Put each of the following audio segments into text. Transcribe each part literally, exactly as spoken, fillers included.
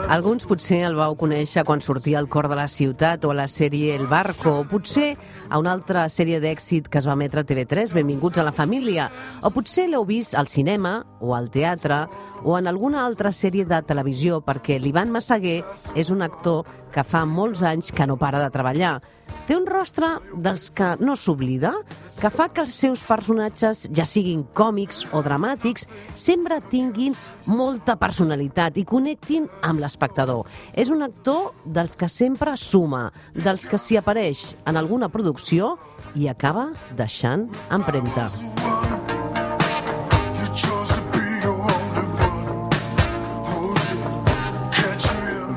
Alguns potser el vau conèixer quan sortia al cor de la ciutat o a la sèrie El Barco, o potser a una altra sèrie d'èxit que es va emetre a T V tres, Benvinguts a la família, o potser l'heu vist al cinema o al teatre o en alguna altra sèrie de televisió, perquè l'Ivan Massaguer és un actor que fa molts anys que no para de treballar. Té un rostre dels que no s'oblida, que fa que els seus personatges, ja siguin còmics o dramàtics, sempre tinguin molta personalitat i connectin amb l'espectador. És un actor dels que sempre suma, dels que s'hi apareix en alguna producció i acaba deixant empremta.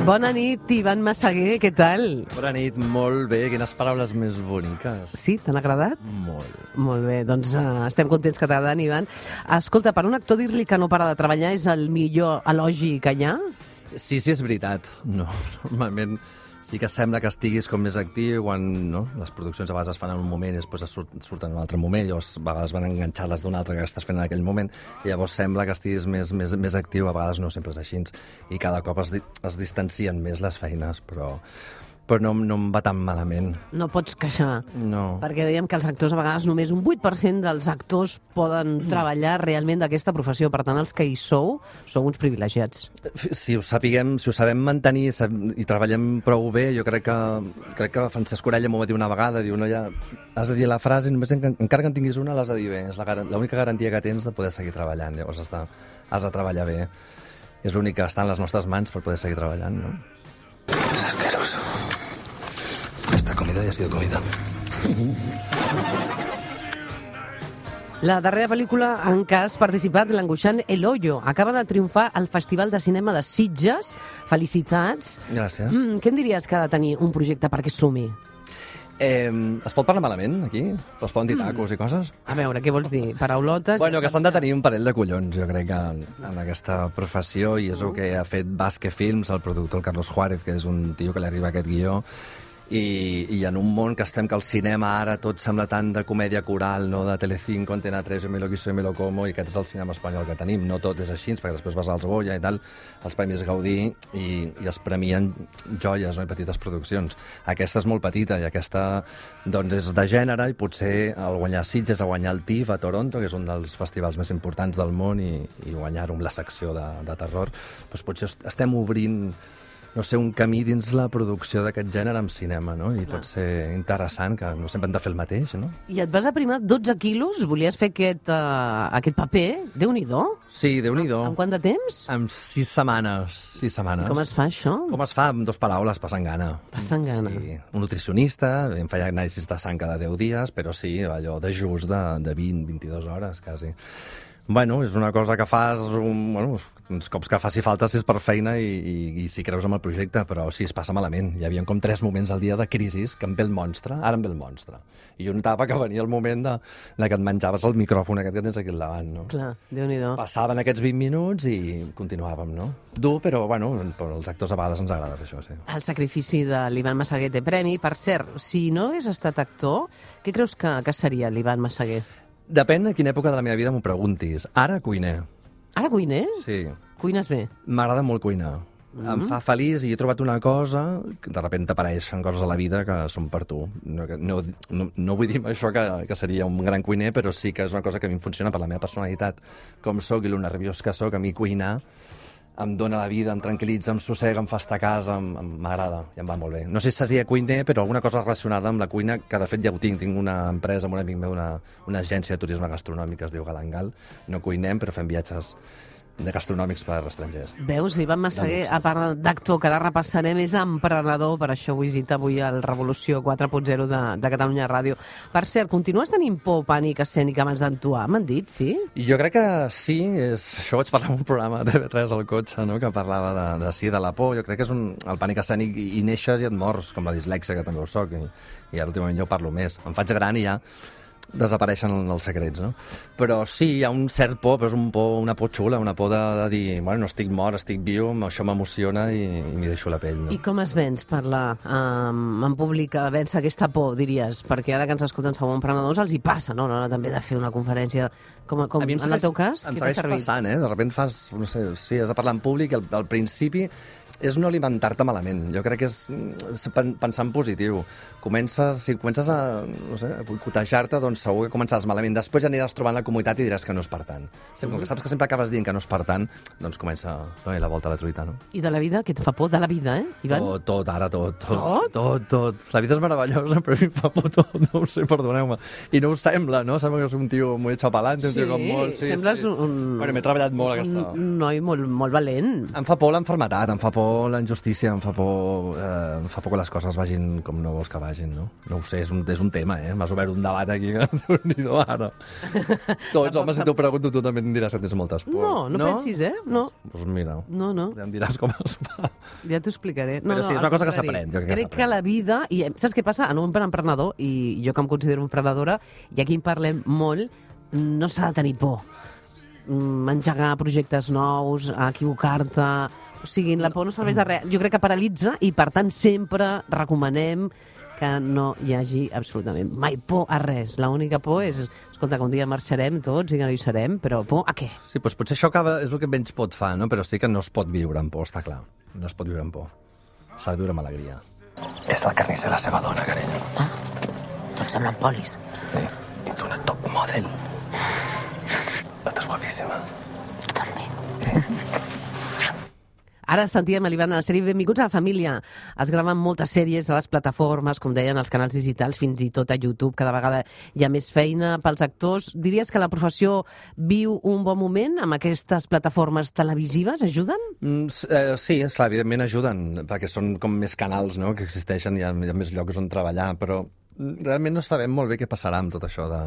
Bona nit, Ivan Massaguer, què tal? Bona nit, molt bé, quines paraules més boniques. Sí, t'han agradat? Molt. Molt bé, doncs uh, estem contents que t'agraden, Ivan. Escolta, per un actor dir-li que no para de treballar és el millor elogi que hi ha? Sí, sí, és veritat. No, normalment sí que sembla que estiguis com més actiu quan no? Les produccions a vegades es fan en un moment i després es surt, surten en un altre moment, o a vegades van enganxar-les d'un altre que estàs fent en aquell moment, i llavors sembla que estiguis més, més, més actiu, a vegades no sempre és així, i cada cop es, es distancien més les feines, però, però no, no em va tan malament. No pots queixar, no. Perquè dèiem que els actors a vegades només un vuit per cent dels actors poden treballar realment d'aquesta professió, per tant els que hi sou sou uns privilegiats. Si ho sapiguem, si ho sabem mantenir i treballem prou bé, jo crec que, crec que Francesc Orella m'ho va dir una vegada, diu, no, ja has de dir la frase, només en, encara que en tinguis una l'has de dir bé, és l'única garantia que tens de poder seguir treballant, llavors està, has de treballar bé, és l'únic que està en les nostres mans per poder seguir treballant, no? És asqueroso. Esta comida ja ha sido comida. La darrera pel·lícula en què has participat, l'angoixant El Hoyo, acaba de triomfar al Festival de Cinema de Sitges. Felicitats. Gràcies. Mm, què em diries que ha de tenir un projecte perquè sumi? Eh, es pot parlar malament, aquí? Es poden dir tacos i coses? A veure, què vols dir? Paraulotes? Bueno, que s'han de tenir un parell de collons, jo crec, que en, en aquesta professió, i és el que ha fet Basque Films, el productor, el Carlos Juárez, que és un tio que li arriba aquest guió, i, i en un món que estem, que el cinema ara tot sembla tant de comèdia coral, no? De Telecinco, Antena tres, Yo me lo quiso, yo me lo como, i aquest és el cinema espanyol que tenim. No tot és així, perquè després vas als Goya i tal, els Premis Gaudí, i, i es premien joies, no? I petites produccions. Aquesta és molt petita, i aquesta doncs, és de gènere, i potser al guanyar Sitges, a guanyar el T I F a Toronto, que és un dels festivals més importants del món, i, i guanyar-ho amb la secció de, de terror, doncs potser estem obrint, no sé, un camí dins la producció d'aquest gènere en cinema, no? I pot ser interessant, que no sempre hem de fer el mateix, no? I et vas aprimar dotze quilos? Volies fer aquest, uh, aquest paper? Déu-n'hi-do? Sí, Déu-n'hi-do. En quant de temps? En sis setmanes. Sis setmanes. Com es fa, això? Com es fa? Amb dues paraules, passant gana. Passant gana. Sí. Un nutricionista, em feia anàlisis de sang cada deu dies, però sí, allò de just de, de vint, vint-i-dues hores, quasi. Bueno, és una cosa que fas, un, bueno, uns cops que faci falta si és per feina i, i, i si creus en el projecte, però sí, es passa malament. Hi havia com tres moments al dia de crisi, que em ve el monstre, ara em ve el monstre. I jo notava que venia el moment de, de que et menjaves el micròfon aquest que tens aquí al davant, no? Clar, Déu-n'hi-do. Passaven aquests vint minuts i continuàvem, no? Dur, però, bueno, però als actors a vegades ens agrada fer això, sí. El sacrifici de l'Ivan Massaguer té premi. Per cert, si no hagués estat actor, què creus que, que seria l'Ivan Massaguer? Depèn a quina època de la meva vida m'ho preguntis. Ara cuiner. Ara cuines? Sí. Cuines bé? M'agrada molt cuinar. Mm-hmm. Em fa feliç i he trobat una cosa que de sobte t'apareixen coses a la vida que són per tu. No, no, no, no vull dir amb això que, que seria un gran cuiner, però sí que és una cosa que a mi em funciona per la meva personalitat. Com sóc i lo nerviós que sóc, a mi cuinar em dóna la vida, em tranquil·litza, em sossega, em fa estar a casa, m'agrada i em va molt bé. No sé si seria cuiner, però alguna cosa relacionada amb la cuina, que de fet ja ho tinc. Tinc una empresa amb un amic meu, una, una agència de turisme gastronòmic que es diu Galangal. No cuinem, però fem viatges de gastronòmics per estrangers. Veus, l'Ivan Massaguer, a part d'actor, que ara repassarem, és emprenedor, per això ho visita avui al Revolució quatre punt zero de, de Catalunya Ràdio. Per cert, continues tenint por, pànic escènic abans d'actuar? M'han dit, sí? Jo crec que sí, és... això ho vaig parlar en un programa de T V tres al cotxe, no? Que parlava de, de sí, de la por. Jo crec que és un... el pànic escènic i, i neixes i et mors, com la dislèxia, que també ho soc, i, i ara últimament jo parlo més. Em faig gran i ja desapareixen els secrets, no? Però sí, hi ha un cert por, però és un por, una por xula, una por de, de dir, bueno, no estic mort, estic viu, això m'emociona i, i m'hi deixo la pell, no? I com es vens parlar um, en públic, a vèncer aquesta por, diries? Perquè ara que ens escolten Segon Emprenedors els hi passa, no? no? També de fer una conferència, com, com en el teu cas, em què t'ha segueix servit? passant, eh? De sobte fas, no sé, sí, has de parlar en públic, al, al principi és no alimentar-te malament. Jo crec que és, és pensar en positiu. Comences, si comences a, no sé, a boicotejar-te, doncs segur que començaràs malament. Després aniràs trobant la comoditat i diràs que no és per tant. Sempre, com que saps que sempre acabes dient que no és per tant, doncs comença a donar la volta a la truita, no? I de la vida? Què et fa por? De la vida, eh, Ivan? Tot, tot, ara tot. Tot? Tot? Tot, tot. La vida és meravellosa, però a mi em fa por tot, no ho sé, perdoneu-me. I no ho sembla, no? Sembla que és un tio molt xapalante, un Sí, tio com molt... Sí, sembles sí. un... Bueno, m'he treballat molt aquesta... Un noi molt, molt valent. Em fa por l'enfermetat, em fa por la injustícia, em fa por, eh, em fa por que les coses vagin com no vols que vagin, no? No ho sé, és un, és un tema, eh? M'has obert un debat aquí que Déu-n'hi-do ara. Tots, home, si t'ho pregunto, tu també em diràs que tens moltes pors. No, no, no pensis, eh? No. Doncs pues mira, No, no. ja em diràs com es fa. Ja t'ho explicaré. No, Però sí, no, és una al cosa que contrari. s'aprèn, jo crec que Crec que s'aprèn. la vida... I saps què passa? En un emprenedor, i jo que em considero emprenedora, i aquí en parlem molt, no s'ha de tenir por. Mm, engegar projectes nous, equivocar-te... O sigui, la por no serveix de res. Jo crec que paralitza i, per tant, sempre recomanem que no hi hagi absolutament mai por a res. L'única por és, escolta, que un dia marxarem tots i que no hi serem, però por a què? Sí, doncs potser això acaba, és el que menys pot fa, no? Però sí que no es pot viure amb por, està clar. No es pot viure amb por. S'ha de viure amb alegria. És el carnisser la seva dona, carinyo. Ah, tots semblen polis. Sí, i tu una top model. Estàs guapíssima. Tu també. Ara sentíem a l'Ivan a la sèrie Benvinguts a la família. Es graven moltes sèries a les plataformes, com deien, als canals digitals, fins i tot a YouTube. Cada vegada hi ha més feina pels actors. Diries que la professió viu un bon moment amb aquestes plataformes televisives? Ajuden? Mm, eh, sí, esclar, evidentment ajuden, perquè són com més canals, no?, que existeixen, hi ha, hi ha més llocs on treballar, però realment no sabem molt bé què passarà amb tot això de...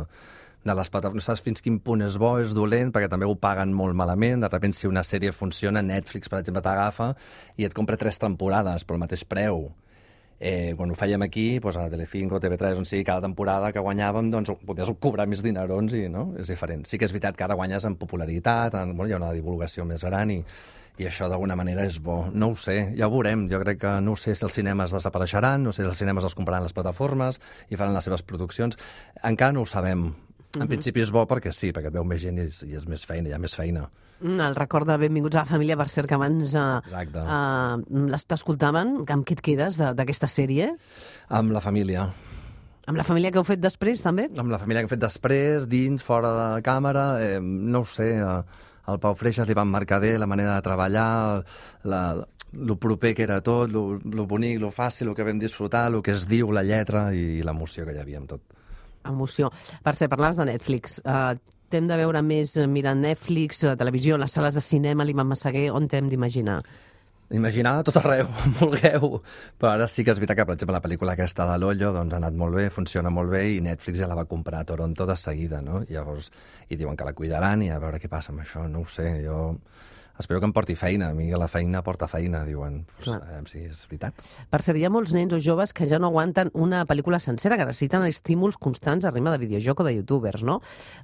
de les plataformes, no saps fins quin punt és bo, és dolent, perquè també ho paguen molt malament. De sobte, si una sèrie funciona, Netflix, per exemple, t'agafa i et compra tres temporades pel mateix preu. Eh, quan ho fèiem aquí, doncs a Telecinco, T V tres, on sigui, cada temporada que guanyàvem, doncs podies cobrar més dinerons i, no?, és diferent. Sí que és veritat que ara guanyes en popularitat, en, bueno, hi ha una divulgació més gran i, i això d'alguna manera és bo. No ho sé, ja ho veurem. Jo crec que no ho sé si els cinemes desapareixeran, no sé si els cinemes els compraran les plataformes i faran les seves produccions. Encara no ho sabem. En principi és bo perquè sí, perquè et veu més gent i és, i és més feina, hi ha més feina. Mm, el record de Benvinguts a la família, per cert, que abans uh, Exacte. uh, t'escoltaven. Amb què et quedes de- d'aquesta sèrie? Amb la família. Amb la família que heu fet després, també? Amb la família que hem fet després, dins, fora de la càmera, eh, no ho sé, eh, al Pau Freixas li van marcar bé la manera de treballar, la, lo proper que era tot, lo, lo bonic, lo fàcil, lo que vam disfrutar, lo que es diu, la lletra i l'emoció que hi havia amb tot. Emoció. Per cert, parlaves de Netflix. Uh, t'hem de veure més mirant Netflix, uh, televisió, les sales de cinema, l'Ivan Massaguer, on t'hem d'imaginar? Imaginar a tot arreu, on vulgueu. Però ara sí que és veritat que, per exemple, la pel·lícula aquesta de l'Ollo doncs, ha anat molt bé, funciona molt bé, i Netflix ja la va comprar a Toronto de seguida, no? I llavors, i diuen que la cuidaran i a veure què passa amb això, no ho sé, jo... Espero que em porti feina. A mi la feina porta feina, diuen. Pues, Clar. a veure si és veritat. Per cert, hi ha molts nens o joves que ja no aguanten una pel·lícula sencera, que necessiten estímuls constants a ritme de videojoc o de youtubers, no?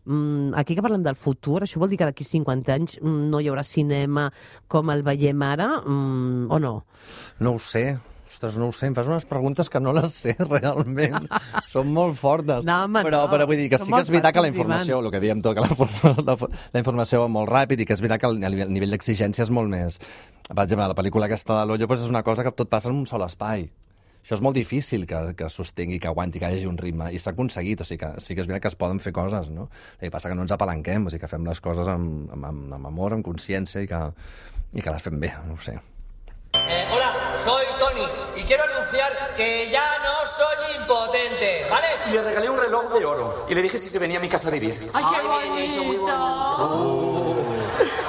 Mm, aquí que parlem del futur, això vol dir que d'aquí cinquanta anys mm, no hi haurà cinema com el veiem ara, mm, o no? No ho sé. Ostres, no ho sé, em fas unes preguntes que no les sé realment. Són molt fortes. No, home, però, no. però vull dir que Són sí que és molt veritat que la fàcils, informació, el que diem tot, que la, informa- la, la informació va molt ràpid i que és veritat que el, el nivell d'exigència és molt més... Per exemple, la pel·lícula aquesta de l'Ollo doncs és una cosa que tot passa en un sol espai. Això és molt difícil que, que sostengui, que aguanti, que hi hagi un ritme, i s'ha aconseguit, o sigui que sí que és veritat que es poden fer coses, no? El que passa que no ens apalanquem, o sigui que fem les coses amb, amb, amb, amb amor, amb consciència, i que, i que les fem bé, no ho sé. Eh, hola, soy Tony y quiero anunciar que ya no soy impotente, ¿vale? Le regalé un reloj de oro y le dije si se venía a mi casa a vivir. ¡Ay, qué bonito! Muy bonito.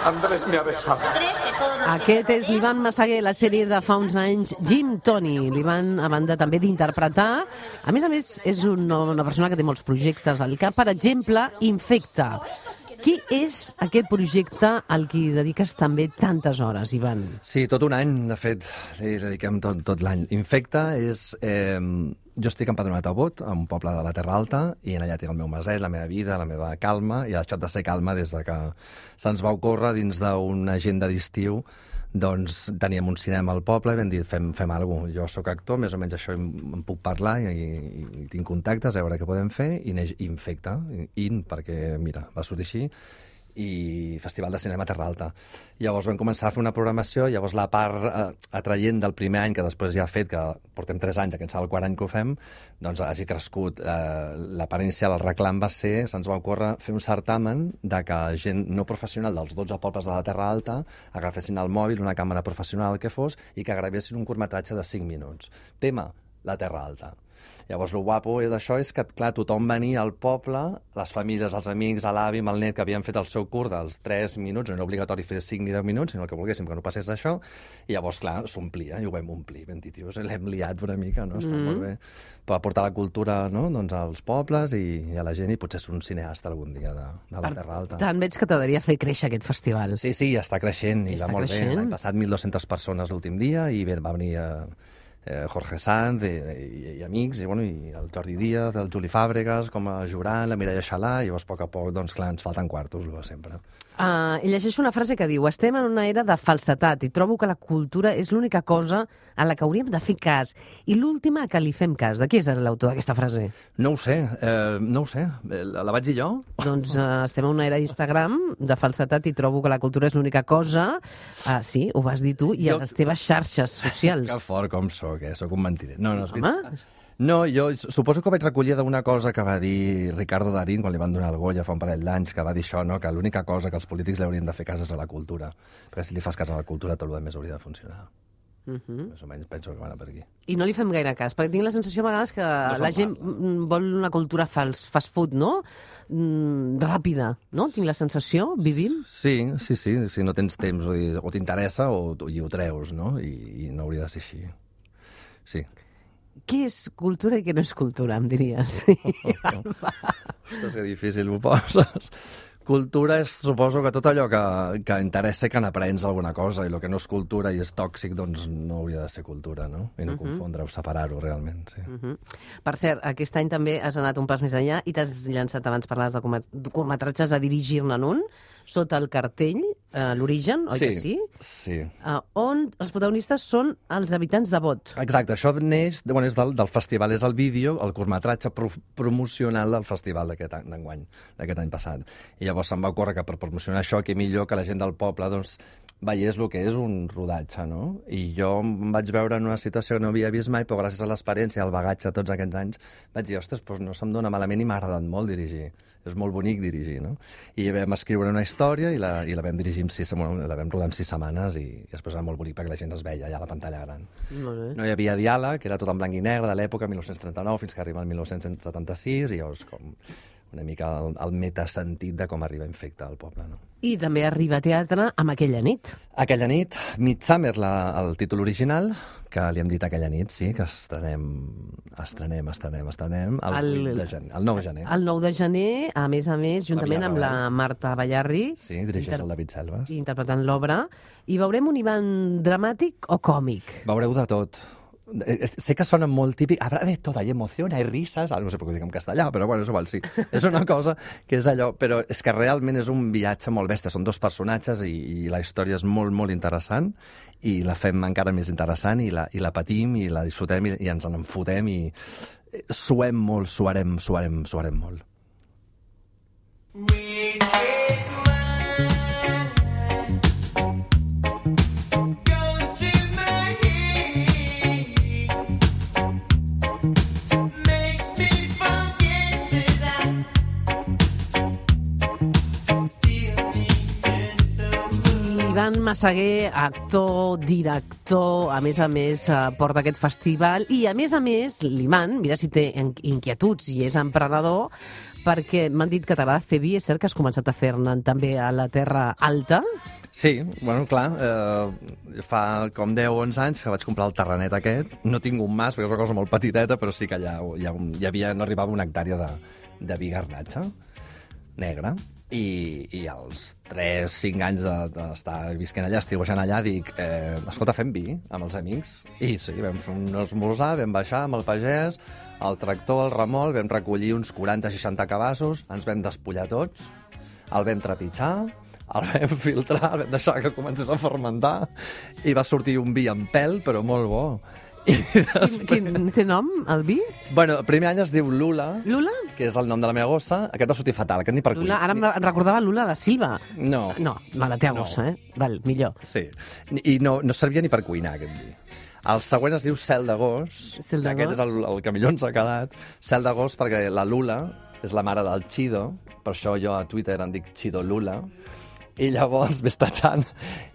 Andrés me ha dejado. ¿Crees que todos los Aquest és l'Ivan Massaguer, la sèrie de fa uns anys, Jim Tony. L'Ivan, a banda també d'interpretar, a més a més, és una, una persona que té molts projectes al cap. Per exemple, Infecta. Qui és aquest projecte al que dediques també tantes hores, Ivan? Sí, tot un any, de fet, li dediquem tot, tot l'any. Infecta és, eh, jo estic empadronat a Bot, a un poble de la Terra Alta, i en allà tinc el meu maset, la meva vida, la meva calma, i ha deixat de ser calma des de que se'ns va ocórrer dins d'una agenda d'estiu. Doncs teníem un cinema al poble i vam dir, fem, fem alguna cosa. Jo sóc actor, més o menys això em, em puc parlar i, i, i tinc contactes, a veure què podem fer, i neix Infecta, in, perquè, mira, va sortir així, i Festival de Cinema Terra Alta. Llavors vam començar a fer una programació, llavors la part eh, atraient del primer any, que després ja ha fet, que portem tres anys, aquest serà el quart any que ho fem, doncs hagi crescut. Eh, la part inicial, el reclam va ser, se'ns va ocórrer fer un certamen de que gent no professional dels dotze pobles de la Terra Alta agafessin el mòbil, una càmera professional, el que fos, i que gravessin un curtmetratge de cinc minuts. Tema, la Terra Alta. Llavors, el guapo d'això és que, clar, tothom venia al poble, les famílies, els amics, l'avi, amb el net, que havien fet el seu curt dels tres minuts, no era obligatori fer cinc ni deu minuts, sinó el que volguéssim, que no passés d'això, i llavors, clar, s'omplia, i ho vam omplir. Vam dir, tios, l'hem liat una mica, no? Està mm. molt bé. Per portar la cultura, no?, doncs, als pobles i, i a la gent, i potser ser un cineasta algun dia de, de la Terra Alta. Tant veig que t'agradaria fer créixer aquest festival. Sí, sí, està creixent, i està va molt creixent. bé. L'any passat mil dues-centes persones l'últim dia, i bé, va venir... Eh, Jorge Sanz i, i, i amics, i, bueno, i el Jordi Díaz, el Juli Fàbregas, com a jurant, la Mireia Xalà, i llavors, a poc a poc, doncs, clar, ens falten quartos, el de sempre. Uh, I llegeixo una frase que diu: estem en una era de falsetat i trobo que la cultura és l'única cosa a la que hauríem de fer cas. I l'última a què li fem cas. De qui és l'autor d'aquesta frase? No ho sé, eh, no ho sé. La, la vaig dir jo? Doncs uh, estem en una era d'Instagram de falsetat i trobo que la cultura és l'única cosa. Uh, sí, ho vas dir tu, i jo... a les teves xarxes socials. Que fort com sóc, eh? Sóc un mentider. No, no, és Home... veritat. No, jo suposo que ho vaig recollir d'una cosa que va dir Ricardo Darín quan li van donar el Goya fa un parell d'anys, que va dir això, no?, que l'única cosa que els polítics li haurien de fer cas és a la cultura. Perquè si li fas cas a la cultura, tot el més hauria de funcionar. Uh -huh. Més o menys penso que van per aquí. I no li fem gaire cas, perquè tinc la sensació a vegades que no la gent parla. Vol una cultura fals, fast food, no? Mm, ràpida, no? Tinc la sensació, vivim? Sí, sí, sí, si no tens temps, o, o t'interessa o, i ho treus, no? I, i no hauria de ser així. Sí. Què és cultura i què no és cultura, em diries? Sí. Ostres, que difícil ho poses. Cultura és, suposo, que tot allò que, que interessa que n'aprens alguna cosa, i el que no és cultura i és tòxic, doncs no hauria de ser cultura, no? I no uh -huh. confondre-ho, separar-ho, realment, sí. Uh -huh. Per cert, aquest any també has anat un pas més enllà i t'has llançat, abans parlaves de curtmetratges, a dirigir-ne un, sota el cartell, uh, l'Origen, oi sí, que sí? Sí. Uh, on els protagonistes són els habitants de Bot. Exacte, això neix, bueno, és del, del festival, és el vídeo, el curtmetratge pro promocional del festival d'aquest any, d'enguany, d'aquest any passat. I llavors se'm va ocórrer que per promocionar això, que millor que la gent del poble, doncs, veiés el que és un rodatge, no? I jo em vaig veure en una situació que no havia vist mai, però gràcies a l'experiència, al bagatge tots aquests anys, vaig dir, ostres, doncs no se'm dona malament i m'ha agradat molt dirigir. És molt bonic dirigir, no? I vam escriure una història i la, i la vam dirigir en sis, bueno, la vam rodar en sis setmanes, i, i després era molt bonic perquè la gent es veia allà a la pantalla gran. Molt bé. No hi havia diàleg, era tot en blanc i negre de l'època, mil nou-cents trenta-nou, fins que arriba el mil nou-cents setanta-sis, i llavors com una mica el, el metasentit de com arriba Infecta al poble, no? I també arriba a teatre amb Aquella nit. Aquella nit, Midsummer, la, el títol original, que li hem dit Aquella nit, sí, que estrenem, estrenem, estrenem, estrenem, el, el, vuit de gener, el nou de gener. El nou de gener, a més a més, juntament amb la Marta Ballarri. Sí, dirigeix inter... el David Selves. Interpretant l'obra. I veurem un Ivan dramàtic o còmic? Veureu de tot. Sé que sona molt típic, habrá de todo, hay emoción, hay risas, no sé per què ho dic en castellà, però bueno, és igual, sí. És una cosa que és allò, però és que realment és un viatge molt bèstia, són dos personatges i, i la història és molt, molt interessant, i la fem encara més interessant, i la, i la patim, i la disfrutem, i, i ens en enfotem, i suem molt, suarem, suarem, suarem molt. Ivan Massaguer, actor, director, a més a més porta aquest festival, i a més a més l'Ivan, mira si té inquietuds i és emprenedor, perquè m'han dit que t'agrada fer vi, és cert que has començat a fer-ne també a la Terra Alta? Sí, bueno, clar, eh, fa com deu o onze anys que vaig comprar el terrenet aquest, no tinc un mas perquè és una cosa molt petiteta, però sí que allà hi, ha un, hi havia, no arribava una hectàrea de, de vi garnatge negre, I, i als tres cinc anys d'estar de, visquent allà, estiuejant allà, dic, eh, escolta, fem vi amb els amics. I sí, vam fer un esmorzar, vam baixar amb el pagès, el tractor, el remolc, vam recollir uns quaranta seixanta cabassos, ens vam despullar tots, el vam trepitjar, el vam filtrar, el vam deixar que comencés a fermentar i va sortir un vi amb pèl, però molt bo. I després... Quin, quin té nom, el vi? Bueno, el primer any es diu Lula, Lula? que és el nom de la meva gossa. Aquest va sortir fatal, aquest ni per Lula, cuit. ara em recordava Lula da Silva. No. No, me la té a No. gossa, eh? Val, millor. Sí, i no, no servia ni per cuinar, aquest vi. El següent es diu Cel d'agost. Cel d'agost. Aquest és el, el que millor ens ha quedat. Cel d'agost perquè la Lula és la mare del Chido, per això jo a Twitter em dic Chido Lula, i llavors ves tachant,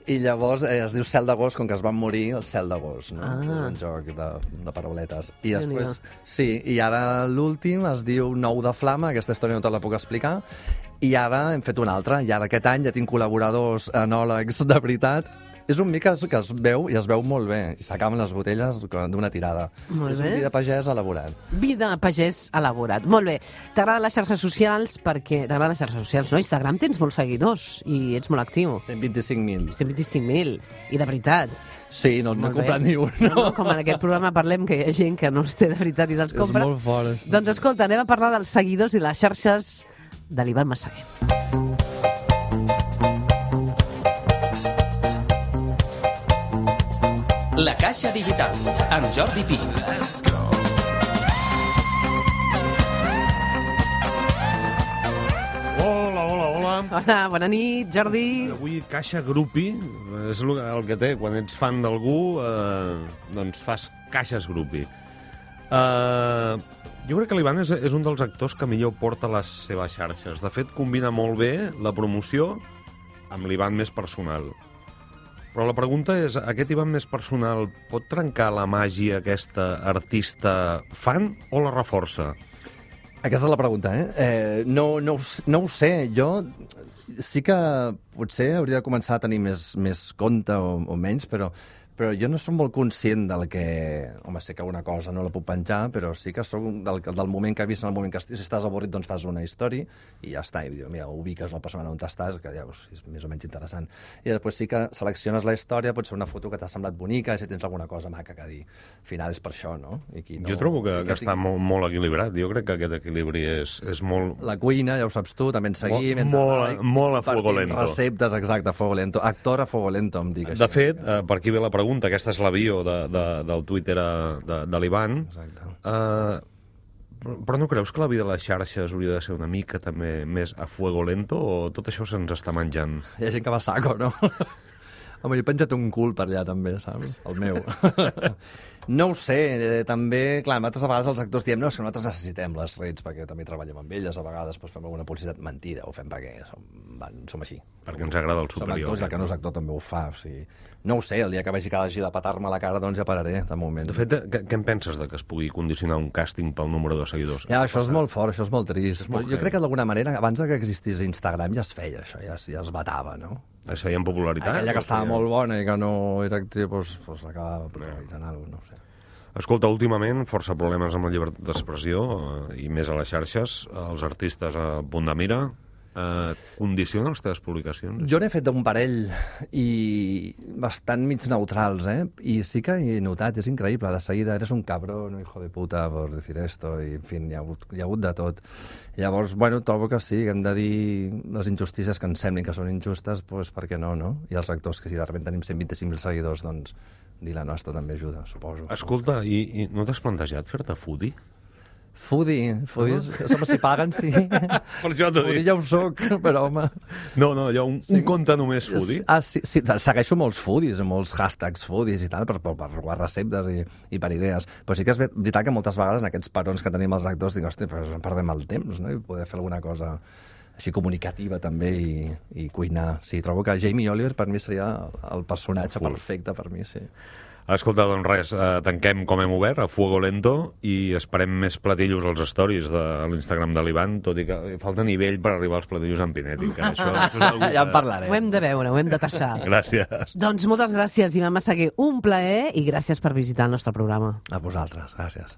i llavors eh, es diu Cel d'agost, com que es van morir el Cel d'agost, no? Ah. És un joc de, de parauletes. I Déu-n'hi-do. després, sí, i ara l'últim es diu Nou de Flama, aquesta història no te la puc explicar, i ara hem fet una altra, i ara aquest any ja tinc col·laboradors enòlegs de veritat. És un vi que es, que es veu, i es veu molt bé, i s'acaben les botelles d'una tirada. Molt és bé. un vi de pagès elaborat. Vi de pagès elaborat. Molt bé. T'agraden les xarxes socials perquè... T'agraden les xarxes socials, no? Instagram tens molts seguidors i ets molt actiu. cent vint-i-cinc mil. cent vint-i-cinc mil. I de veritat. Sí, no n'he Molt bé. comprat ni un. No, no, com en aquest programa parlem que hi ha gent que no els té de veritat i se'ls És compra. molt fort, això. Doncs escolta, anem a parlar dels seguidors i les xarxes de l'Ivan Massaguer. La Caixa Digital, amb Jordi Pi. Hola, hola, hola. Hola, bona nit, Jordi. Avui Caixa Grupi és el el que té. Quan ets fan d'algú, eh, doncs fas caixes Grupi. Eh, jo crec que l'Ivan és, és un dels actors que millor porta les seves xarxes. De fet, combina molt bé la promoció amb l'Ivan més personal. Però la pregunta és, aquest Ivan més personal pot trencar la màgia aquesta artista fan o la reforça? Aquesta és la pregunta, eh? eh no, no, ho s- no ho sé. Jo sí que potser hauria de començar a tenir més, més compte o, o menys, però, però jo no soc molt conscient del que... Home, sé que una cosa no la puc penjar, però sí que soc del, del moment que he vist, en el moment que estic, si estàs avorrit, doncs fas una història i ja està. I dius, mira, ubiques la persona on estàs, que ja veus, és més o menys interessant. I després sí que selecciones la història, pot ser una foto que t'ha semblat bonica, si tens alguna cosa maca que dir. Al final és per això, no? I qui no Jo trobo que, i que està tingui- molt, molt equilibrat. Jo crec que aquest equilibri és, és molt... La cuina, ja ho saps tu, també en seguim. Molt- molt- molt a fuego lento. Receptes, exacte, a fuego lento. Actor a fuego lento, em dic De fet, eh, per aquí ve la pregunta, aquesta és la bio de, de, del Twitter eh, de, de l'Ivan. Exacte. Eh, però, però no creus que la vida de les xarxes hauria de ser una mica també més a fuego lento o tot això se'ns està menjant? Hi ha gent que va a saco, no? Home, jo he penjat un cul per allà també, saps? El meu. No ho sé, eh, també, clar, altres vegades els actors diem no, és que nosaltres necessitem les redes perquè també treballem amb elles, a vegades doncs, fem alguna publicitat mentida, ho fem perquè som, van, som així. Perquè ens agrada el Som superior. actors, el que no és actor també ho fa, o sigui... No ho sé, el dia que vegi que hagi de petar-me la cara, doncs ja pararé, de moment. De fet, què, què en penses de que es pugui condicionar un càsting pel número de seguidors? Ja, això és molt fort, això és molt trist. molt Però jo heavy. crec que d'alguna manera, abans que existís Instagram, ja es feia això, ja, es- ja es batava, no? Es feia en popularitat? Aquella o que estava feia- molt bona i que no era actriu, doncs, doncs acabava protagonitzant alguna cosa, no ho sé. Escolta, últimament, força problemes amb la llibertat d'expressió eh, i més a les xarxes. Els artistes a punt de mira. Eh, condiciona les teves publicacions? Jo n'he fet un parell i bastant mig neutrals, eh? I sí que he notat, és increïble, de seguida, eres un cabrón, hijo de puta, por decir esto, i en fi, hi ha hagut, hi ha hagut de tot. Llavors, bueno, trobo que sí, que hem de dir les injustícies que ens semblin que són injustes, doncs per què no, no? I els actors, que si de repente tenim cent vint-i-cinc mil seguidors, doncs dir la nostra també ajuda, suposo. Escolta, i, i no t'has plantejat fer-te foodie? Foodie, foodies, home, si paguen, sí. Per això t'ho Foodie dic. ja ho soc, però, home... No, no, hi ha un, un compte només foodie. Ah, sí, sí, segueixo molts foodies, molts hashtags foodies i tal, per, per, per robar receptes i, i per idees. Però sí que és veritat que moltes vegades en aquests parons que tenim els actors dic, hosti, però perdem el temps, no? I poder fer alguna cosa així comunicativa també i, i cuinar. Sí, trobo que Jamie Oliver per mi seria el personatge Full. perfecte per mi, sí. Escolta, doncs res, eh, tanquem com hem obert, a fuego lento, i esperem més platillos als stories de l'Instagram de l'Ivan, tot i que falta nivell per arribar als platillos amb Pinetti. Que això, això és algú Ja en que- parlarem. Ho hem de veure, ho hem de tastar. Gràcies. Doncs moltes gràcies, Ivan Massaguer. Un plaer i gràcies per visitar el nostre programa. A vosaltres, gràcies.